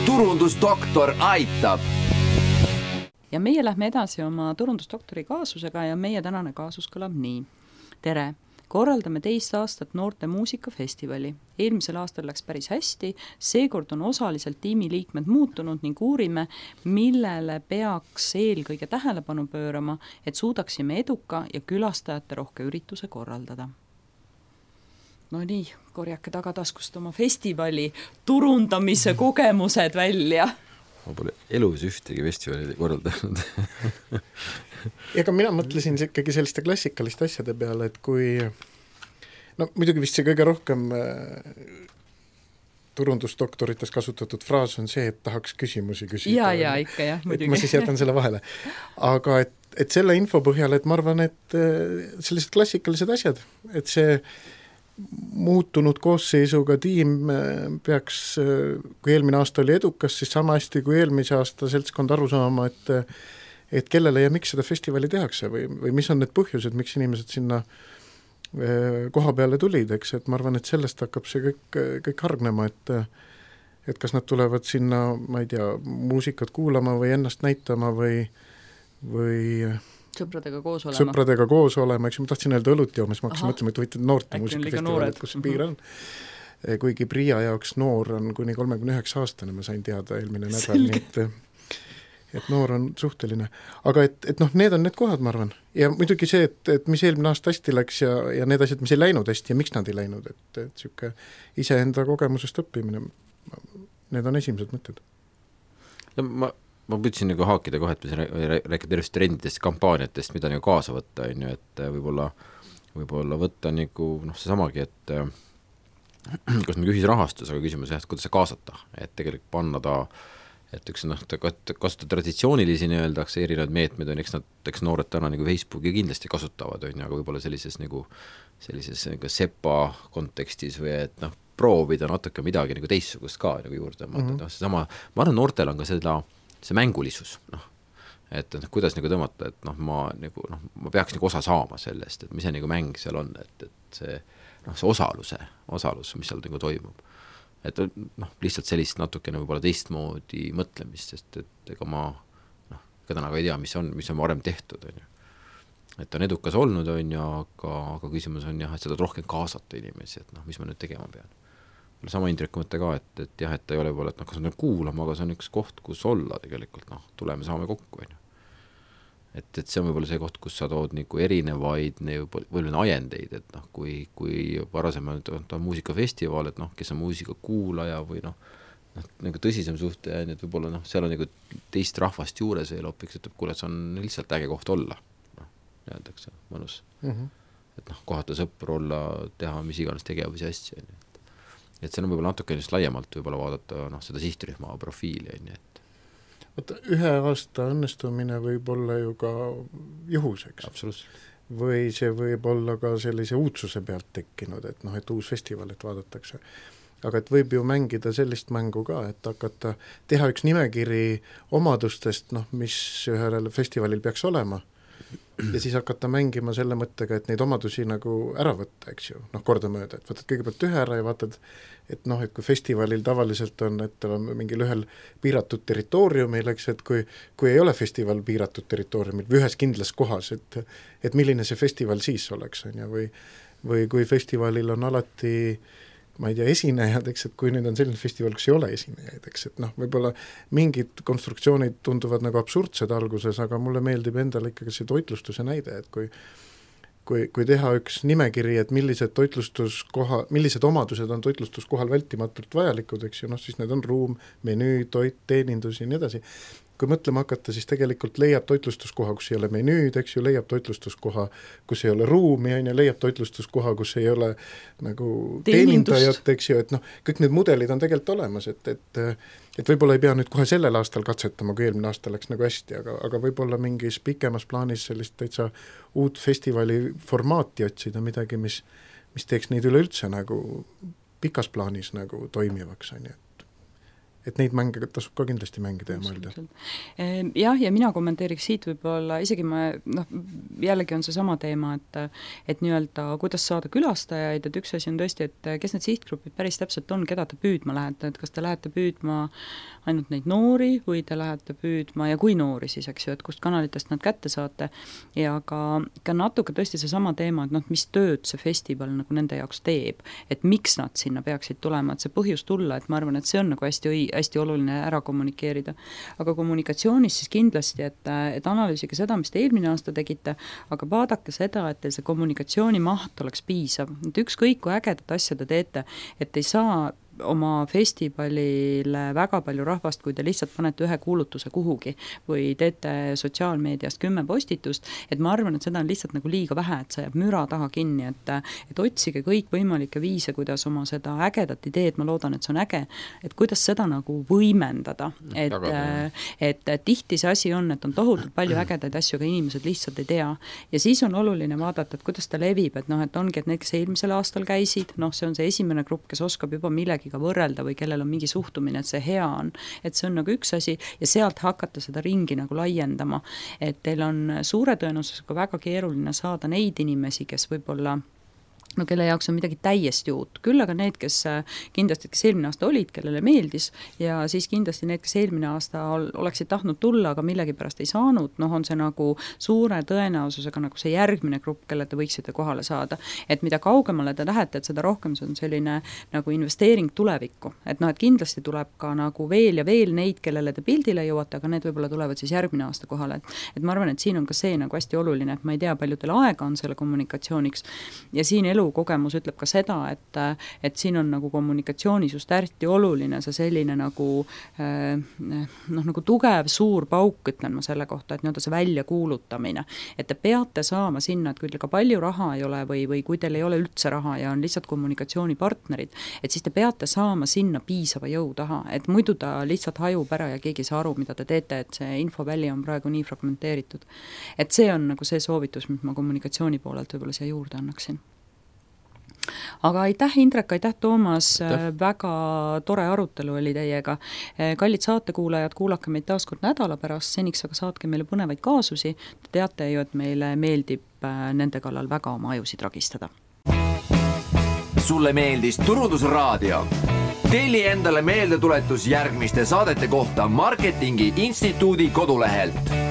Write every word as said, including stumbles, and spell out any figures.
turundusdoktor aitab. Ja meie lähme edasi oma turundusdoktori kaasusega ja meie tänane kaasus kõlab nii. Tere! Korraldame teist aastat noorte muusikafestivali. Eelmisel aastal läks päris hästi, seekord on osaliselt tiimiliikmed muutunud ning uurime, millele peaks eelkõige tähelepanu pöörama, et suudaksime eduka ja külastajate rohke ürituse korraldada. No nii, korjake tagataskust oma festivali turundamise kogemused välja. Ma pole elus ühtegi festivali korraldanud. Ega mina mõtlesin ikkagi selliste klassikaliste asjade peale, et kui no muidugi vist see kõige rohkem äh, turundusdoktorites kasutatud fraas on see, et tahaks küsimusi küsida. Ja, ja, ikka jah, muidugi. Ma siis jätan selle vahele. Aga et, et selle info põhjal, et ma arvan, et äh, sellised klassikalised asjad, et see muutunud koosseisuga tiim peaks, kui eelmine aasta oli edukas, siis sama hästi kui eelmise aasta seltskond aru saama, et, et kellele ja miks seda festivali tehakse või, või mis on need põhjused, miks inimesed sinna koha peale tulid, eks, et ma arvan, et sellest hakkab see kõik, kõik hargnema, et, et kas nad tulevad sinna, ma ei tea, muusikat kuulama või ennast näitama või, või sõpradega koos olema. Sõpradega koos olema, eks ma tahtsin öelda õlut joomas, ma hakkasin mõtlema, et võite noorte muusikafestival, kus see piir on. Kuigi Priia jaoks noor on kuni kolmekümne üheksa aastane, ma sain teada eelmine nädal, nii et, et noor on suhteline. Aga et, et noh, need on need kohad, ma arvan. Ja muidugi see, et, et mis eelmine aasta hästi läks ja, ja need asjad, mis ei läinud hästi ja miks nad ei läinud, et, et siuke iseenda kogemusest õppimine, need on esimesed mõtted. Ja ma ma püüdsin nagu haakida kohe, et me rääkida tervist trendidest, kampaaniatest, mida nagu kaasa võtta, on ju, et võib-olla, võib-olla võtta nagu, noh, see samagi, et kus me küsis rahastus, aga küsimus jah, et kuidas see kaasata, et tegelikult panna ta, et üks noh, ta kasutada traditsioonilisi nii-öeldakse erinevad meetmed, on, eks nad, eks noored täna nagu Facebooki kindlasti kasutavad, on ju, aga võib-olla sellises nagu, sellises nagu sepa kontekstis või et noh, proovida natuke midagi nagu teissugust ka nagu juurde, mm-hmm. no, see sama, ma arvan, noortel on ka seda see mängulisus, noh, et noh, kuidas nagu tõmmata, et noh, ma nagu, noh, ma peaks nagu osa saama sellest, et mis see nagu mäng seal on, et, et see, noh, see osaluse, osalus, mis seal nagu toimub. Et noh, lihtsalt sellist natukene võib-olla teistmoodi mõtlemist, sest et ega ma, noh, ega täna ka ei tea, mis on, mis on varem tehtud, on ju. Et on edukas olnud, on ju, aga, aga küsimus on jah, et seda rohkem kaasata inimesi, et noh, mis ma nüüd tegema pean. Sama Indreku mõtte ka, et, et jah, et ta ei ole võib-olla, et noh, kas on kuulama, aga see on üks koht, kus olla tegelikult, noh, tuleme saame kokku, on ju. Et, et see on võib-olla see koht, kus sa tood nagu erinevaid võib-olla ajendeid, et noh, kui, kui varasem on, on muusikafestival, et noh, kes on muusika kuulaja või noh, noh nagu tõsisem suhte, et võib-olla noh, seal on nagu teist rahvast juures veel hopiks, et kuule, see on lihtsalt äge koht olla, noh, öeldakse, mõnus. Mm-hmm. Et noh, kohata sõpru olla, teha mis iganes tegevusi asja, on ju. Et see on võib-olla natuke just laiemalt võib-olla vaadata noh, seda sihtrühma profiili. Et... Võtta, ühe aasta õnnestumine võib olla ju ka juhuseks. Absoluutselt. Või see võib olla ka sellise uudsuse pealt tekkinud, et noh, et uus festival, et vaadatakse. Aga et võib ju mängida sellist mängu ka, et hakata teha üks nimekiri omadustest, noh, mis ühel festivalil peaks olema. Ja siis hakata mängima selle mõttega, et neid omadusi nagu ära võtta, eks ju, noh, kordamööda, et võtad kõigepealt ühe ära ja vaatad, et noh, et kui festivalil tavaliselt on, et tal on mingil ühel piiratud territooriumil, eks, et kui, kui ei ole festival piiratud territooriumil või ühes kindlas kohas, et, et milline see festival siis oleks, on ja, või, või kui festivalil on alati ma ei tea, esinejad, eks, et kui nüüd on selline festival, kus ei ole esinejaid, eks, et noh, võib-olla mingid konstruktsioonid tunduvad nagu absurdsed alguses, aga mulle meeldib endale ikkagi see toitlustuse näide, et kui, kui, kui teha üks nimekiri, et millised toitlustuskoha, millised omadused on toitlustuskohal vältimatult vajalikud, eks ju, noh, siis need on ruum, menüü, toit, teenindus ja nii edasi. Kui mõtlema hakata, siis tegelikult leiab toitlustuskoha, kus ei ole menüüd, eks ju, leiab toitlustuskoha, kus ei ole ruumi, ja leiab toitlustuskoha, kus ei ole nagu teenindajat, eks ju, et noh, kõik need mudelid on tegelikult olemas, et, et, et võib-olla ei pea nüüd kohe sellel aastal katsetama, kui eelmine aasta läks nagu hästi, aga, aga võib-olla mingis pikemas plaanis sellist täitsa uut festivali formaati otsida, midagi, mis, mis teeks neid üleüldse nagu pikas plaanis nagu toimivaks, on ju. et neid mänge tasub ka kindlasti mängida ja mõelda. Jah, ja mina kommenteeriks siit võib-olla, isegi ma, noh, jällegi on see sama teema, et et nii-öelda, kuidas saada külastajaid, et üks asi on tõesti, et kes need sihtgrupid päris täpselt on, keda te püüdma lähete, et kas te lähete püüdma ainult neid noori või te lähete püüdma ja kui noori siis, eks ju, et kust kanalitest nad kätte saate ja ka, ka natuke tõesti see sama teema, et noh, mis tööd see festival nagu nende jaoks teeb, et miks nad sinna peaksid tulema, et see põhjus tulla, et ma arvan, et see on nagu hästi õi, hästi oluline ära kommunikeerida. Aga kommunikatsioonis siis kindlasti, et, et analüüsige seda, mis te eelmine aasta tegite, aga vaadake seda, et teil see kommunikatsiooni maht oleks piisav. Et ükskõik kui ägedat asja te teete, et ei saa oma festivalile väga palju rahvast, kui te lihtsalt panete ühe kuulutuse kuhugi või teete sotsiaalmeediast kümme postitust, et ma arvan, et seda on lihtsalt nagu liiga vähe, et see jääb müra taha kinni, et, et otsige kõik võimalikke viise, kuidas oma seda ägedat ideed, ma loodan, et see on äge, et kuidas seda nagu võimendada, et, et, et tihti see asi on, et on tohutult palju ägedaid asju, aga inimesed lihtsalt ei tea. Ja siis on oluline vaadata, et kuidas ta levib, et noh, et ongi, et need, kes eelmisel aastal käisid, noh, see on see esimene grupp, kes oskab juba millegi ka võrrelda või kellel on mingi suhtumine, et see hea on, et see on nagu üks asi ja sealt hakata seda ringi nagu laiendama, et teil on suure tõenäosusega väga keeruline saada neid inimesi, kes võib-olla no kelle jaoks on midagi täiesti uut, küll aga need, kes kindlasti, kes eelmine aasta olid, kellele meeldis ja siis kindlasti need, kes eelmine aasta oleksid tahtnud tulla, aga millegi pärast ei saanud, noh on see nagu suure tõenäosusega nagu see järgmine grupp, kelle te võiksite kohale saada, et mida kaugemale te lähete, et seda rohkem see on selline nagu investeering tulevikku, et noh, et kindlasti tuleb ka nagu veel ja veel neid, kellele te pildile jõuate, aga need võib-olla tulevad siis järgmine aasta kohale, et, et ma arvan, et siin on ka see nagu hästi oluline, et ma ei tea, palju teil aega on selle kommunikatsiooniks ja siin elu kogemus ütleb ka seda, et, et siin on nagu kommunikatsioonis just hästi oluline see selline nagu noh, nagu tugev suur pauk, ütlen ma selle kohta, et nii-öelda see väljakuulutamine, et te peate saama sinna, et kui teil ka palju raha ei ole või, või kui teil ei ole üldse raha ja on lihtsalt kommunikatsioonipartnerid, et siis te peate saama sinna piisava jõu taha, et muidu ta lihtsalt hajub ära ja keegi ei saa aru, mida te teete, et see infoväli on praegu nii fragmenteeritud. Et see on nagu see soovitus, mis ma kommunikatsiooni poolelt võib-olla siia juurde annaksin. Aga aitäh, Indrek, aitäh, Toomas, aitäh. Väga tore arutelu oli teiega. Kallid saatekuulajad, kuulake meid taas kord nädala pärast, seniks aga saatke meile põnevaid kaasusi. Te teate ju, et meile meeldib nende kallal väga oma ajusid ragistada. Sulle meeldis Turundusraadio? Telli endale meeldetuletus järgmiste saadete kohta Marketingi Instituudi kodulehelt.